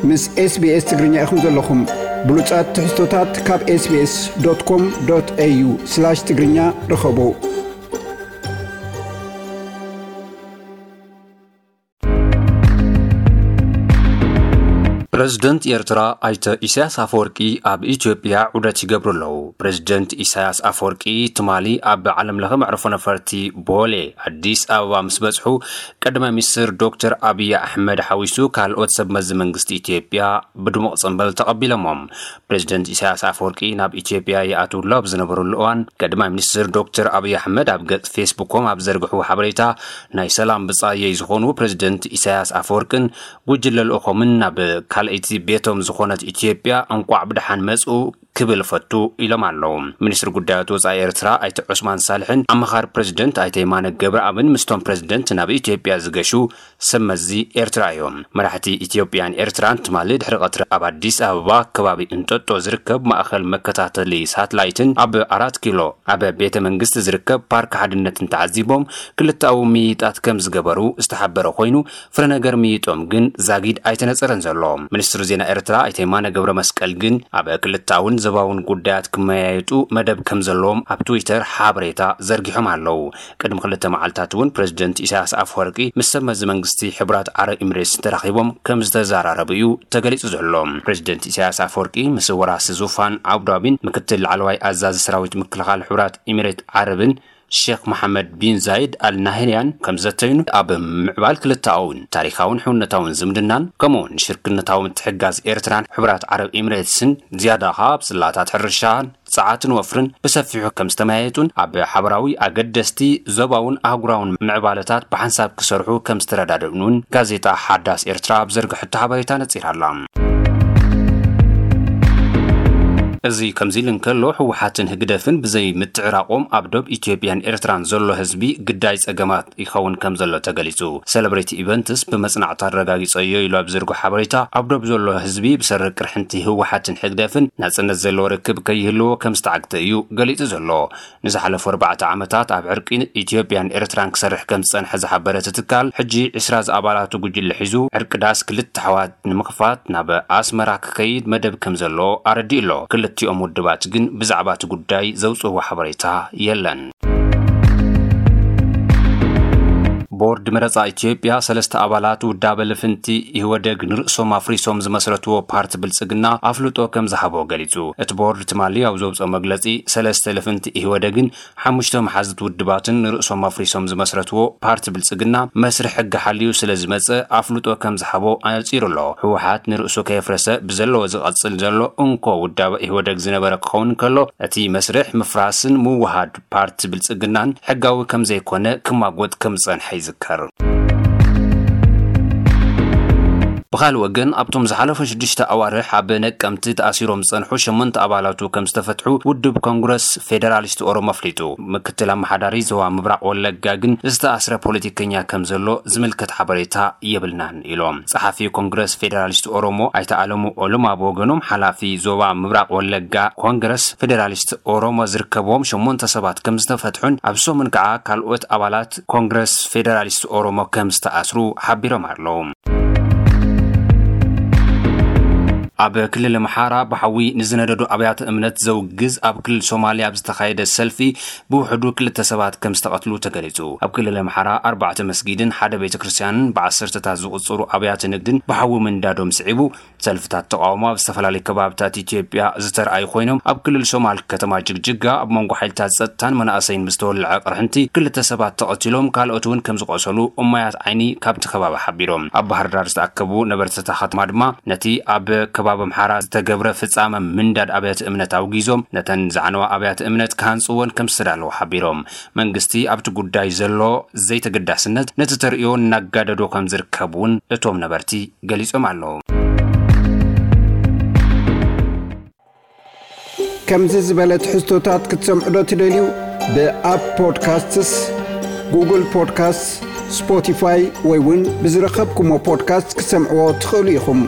ምስ SBS ትግርኛ ኢኹም ዘለኹም። ብሉጻት ትሕዝቶታት ካብ SBS.com.au/ትግርኛ ርኸቡ። ፕረዚደንት ኤርትራ ኣይተ ኢሳያስ ኣፈወርቂ ኣብ ኢትዮጵያ ዑደት ይገብሩ ኣለዉ። ፕረዚደንት ኢሳያስ ኣፈወርቂ ትማሊ ኣብ ዓለም ለኸ መዕርፎ ነፈርቲ ቦሌ ኣዲስ ኣበባ ምስ በጽሑ፣ ቀዳማይ ሚኒስትር ዶክተር ኣብይ ኣሕመድ ሓዊሱ ካልኦት ሰብ መዚ መንግስቲ ኢትዮጵያ ብድሙቕ ጽንብል ተቐቢሎሞም። ፕረዚደንት ኢሳያስ ኣፈወርቂ ናብ ኢትዮጵያ ይኣትውሉ ኣብ ዝነበሩሉ እዋን፣ ቀዳማይ ሚኒስትር ዶክተር ኣብይ ኣሕመድ ኣብ ገጽ ፌስቡኮም ኣብ ዘርግሕዎ ሓበሬታ፣ ናይ ሰላም ብጻየይ ዝኾኑ ፕረዚደንት ኢሳያስ ኣፈወርቅን ጉጅለ ልኡኾምን ናብ ካልኣይቲ ቤቶም ዝኾነት ኢትዮጵያ እንቋዕ ብደሓን መጽኡ ክብል እፈቱ ኢሎም ኣለዉ። ሚኒስትሪ ጉዳያት ወጻኢ ኤርትራ ኣይተ ዑስማን ሳልሕን ኣማኻሪ ፕረዚደንት ኣይተ የማነ ገብረኣብን ምስቶም ፕረዚደንት ናብ ኢትዮጵያ ዝገሹ ሰብ መዚ ኤርትራ እዮም። መራሕቲ ኢትዮጵያን ኤርትራን ትማሊ ድሕሪ ቀትሪ ኣብ ኣዲስ ኣበባ ከባቢ እንጦጦ ዝርከብ ማእኸል መከታተሊ ሳትላይትን ኣብ ኣራት ኪሎ ኣብ ቤተ መንግስቲ ዝርከብ ፓርክ ሓድነትን ተዓዚቦም ክልተኣዊ ምይይጣት ከም ዝገበሩ ዝተሓበረ ኮይኑ፣ ፍረ ነገር ምይይጦም ግን ዛጊድ ኣይተነጸረን ዘሎ። ሚኒስትሪ ዜና ኤርትራ ኣይተ የማነ ገብረ መስቀል ግን ኣብ ክልተኣውን ዞባውን ጉዳያት ክመያየጡ መደብ ከም ዘለዎም ኣብ ትዊተር ሓበሬታ ዘርጊሖም ኣለዉ። ቅድሚ ክልተ መዓልታት እውን ፕረዚደንት ኢሳያስ ኣፈወርቂ ምስ ሰብ መዚ መንግስቲ ሕቡራት ዓረብ ኤምሬትስ ተራኺቦም ከም ዝተዘራረቡ እዩ ተገሊጹ ዘሎ። ፕረዚደንት ኢሳያስ ኣፈወርቂ ምስ ወራሲ ዙፋን ኣቡዳቢን ምክትል ላዕለዋይ ኣዛዚ ሰራዊት ምክልኻል ሕቡራት ኤሚሬት ዓረብን ሼክ መሓመድ ቢን ዛይድ ኣል ናህያንን ከም ዘተዩን ኣብ ምዕባል ክልተኣውን ታሪኻውን ሕውነታውን ዝምድናን ከምኡውን ሽርክነታዊ ምትሕጋዝ ኤርትራን ሕቡራት ዓረብ ኤሚሬትስን ዝያዳ ኸኣ ኣብ ጽላታት ሕርሻን ጸዓትን ወፍርን ብሰፊሑ ከም ዝተመያየጡን ኣብ ሓበራዊ ኣገደስቲ ዞባውን ኣህጉራውን ምዕባለታት ብሓንሳብ ክሰርሑ ከም ዝተረዳድኡን እውን ጋዜጣ ሓዳስ ኤርትራ ኣብ ዘርግሐቶ ሓበሬታ ነጺራ ኣላ። እዚ ከምዚ ኢሉ እንከሎ፣ ህወሓትን ህግደፍን ብዘይ ምትዕራቖም ኣብ ዶብ ኢትዮጵያን ኤርትራን ዘሎ ህዝቢ ግዳይ ጸገማት ይኸውን ከም ዘሎ ተገሊጹ። ሰለብሬቲ ኢቨንትስ ብመጽናዕቱ ኣረጋጊጸዮ ኢሉ ኣብ ዝርጉ ሓበሬታ፣ ኣብ ዶብ ዘሎ ህዝቢ ብሰሪ ቅርሕንቲ ህወሓትን ህግደፍን ናጽነት ዘለዎ ርክብ ከይህልዎ ከም ዝተዓግተ እዩ ገሊጹ ዘሎ። ንዝሓለፉ ኣርባዕተ ዓመታት ኣብ ዕርቂ ኢትዮጵያን ኤርትራን ክሰርሕ ከም ዝጸንሐ ዝሓበረ እቲ ትካል፣ ሕጂ ዕስራ ዝኣባላቱ ጉጅለ ሒዙ ዕርቂ ዳስ ክልተ ኣሕዋት ንምኽፋት ናብ ኣስመራ ክኸይድ መደብ ከም ዘሎ ኣረዲኡ ኣሎ። ክልቲኦም ውድባት ግን ብዛዕባ እቲ ጉዳይ ዘውጽእዎ ሓበሬታ የለን። ቦርድ መረጻ ኢትዮጵያ ሰለስተ ኣባላት ውዳበ ልፍንቲ ኢህወደግ ንርእሶም ኣፍሪሶም ዝመስረትዎ ፓርቲ ብልጽግና ኣፍልጦ ከም ዝሃቦ ገሊጹ። እቲ ቦርድ ትማሊ ኣብ ዘውጽኦ መግለጺ፣ ሰለስተ ልፍንቲ ኢህወደግን ሓሙሽተ መሓዙት ውድባትን ንርእሶም ኣፍሪሶም ዝመስረትዎ ፓርቲ ብልጽግና መስርሕ ሕጊ ሓልዩ ስለ ዝመጸ ኣፍልጦ ከም ዝሃቦ ኣነጺሩ ኣሎ። ህወሓት ንርእሱ ከየፍረሰ ብዘለዎ ዝቐጽል ዘሎ እንኮ ውዳበ ኢህወደግ ዝነበረ ክኸውን ከሎ፣ እቲ መስርሕ ምፍራስን ምውሃድ ፓርቲ ብልጽግናን ሕጋዊ ከም ዘይኮነ ክማጎት ከም ዝጸንሐ ይዝከር። ብኻልእ ወገን፣ ኣብቶም ዝሓለፉ ሽዱሽተ ኣዋርሕ ኣብ ነቀምቲ ተኣሲሮም ዝጸንሑ ሸሞንተ ኣባላቱ ከም ዝተፈትሑ ውድብ ኮንግረስ ፌደራሊስት ኦሮሞ ኣፍሊጡ። ምክትል ኣመሓዳሪ ዞባ ምብራቕ ወለጋ ግን ዝተኣስረ ፖለቲከኛ ከም ዘሎ ዝምልከት ሓበሬታ የብልናን ኢሎም። ጸሓፊ ኮንግረስ ፌደራሊስት ኦሮሞ ኣይተ ኣለሙ ኦልማ ብወገኖም፣ ሓላፊ ዞባ ምብራቕ ወለጋ ኮንግረስ ፌደራሊስት ኦሮሞ ዝርከብዎም ሸሞንተ ሰባት ከም ዝተፈትሑን ኣብ ሰሙን ከዓ ካልኦት ኣባላት ኮንግረስ ፌደራሊስት ኦሮሞ ከም ዝተኣስሩ ሓቢሮም ኣለዉ። ኣብ ክልል ኣምሓራ ብሓዊ ንዝነደዱ ኣብያተ እምነት ዘውግዝ ኣብ ክልል ሶማልያ ኣብ ዝተኻየደ ሰልፊ ብውሕዱ ክልተ ሰባት ከም ዝተቐትሉ ተገሊጹ። ኣብ ክልል ኣምሓራ ኣርባዕተ መስጊድን ሓደ ቤተ ክርስቲያንን ብዓሰርተታት ዝቑጸሩ ኣብያተ ንግድን ብሓዊ ምንዳዶም ስዒቡ፣ ሰልፍታት ተቓውሞ ኣብ ዝተፈላለዩ ከባብታት ኢትዮጵያ ዝተርኣዩ ኮይኖም፣ ኣብ ክልል ሶማል ከተማ ጅግጅጋ ኣብ መንጎ ሓይልታት ጸጥታን መናእሰይን ብዝተወልዐ ቅርሕንቲ ክልተ ሰባት ተቐቲሎም፣ ካልኦት እውን ከም ዝቖሰሉ እማያት ዓይኒ ካብቲ ከባቢ ሓቢሮም። ኣብ ባህር ዳር ዝተኣከቡ ነበርቲ እታ ከተማ ድማ ነቲ ኣብ ከባቢ ኣምሓራ ዝተገብረ ፍጻመ ምንዳድ ኣብያተ እምነት ኣውጊዞም፣ ነተን ዝዓነዋ ኣብያተ እምነት ክሃንጽወን ከም ዝተዳለዉ ሓቢሮም። መንግስቲ ኣብቲ ጉዳይ ዘሎ ዘይተገዳስነት ነቲ ተርእዮ እናጋደዶ ከም ዝርከብ እውን እቶም ነበርቲ ገሊጾም ኣለዉ። ከምዚ ዝበለ ትሕዝቶታት ክትሰምዑ ዶ ትደልዩ? ብኣፕ ፖድካስትስ፣ ጉግል ፖድካስትስ፣ ስፖቲፋይ ወይ እውን ብዝረኸብኩሞ ፖድካስት ክትሰምዕዎ ትኽእሉ ኢኹም።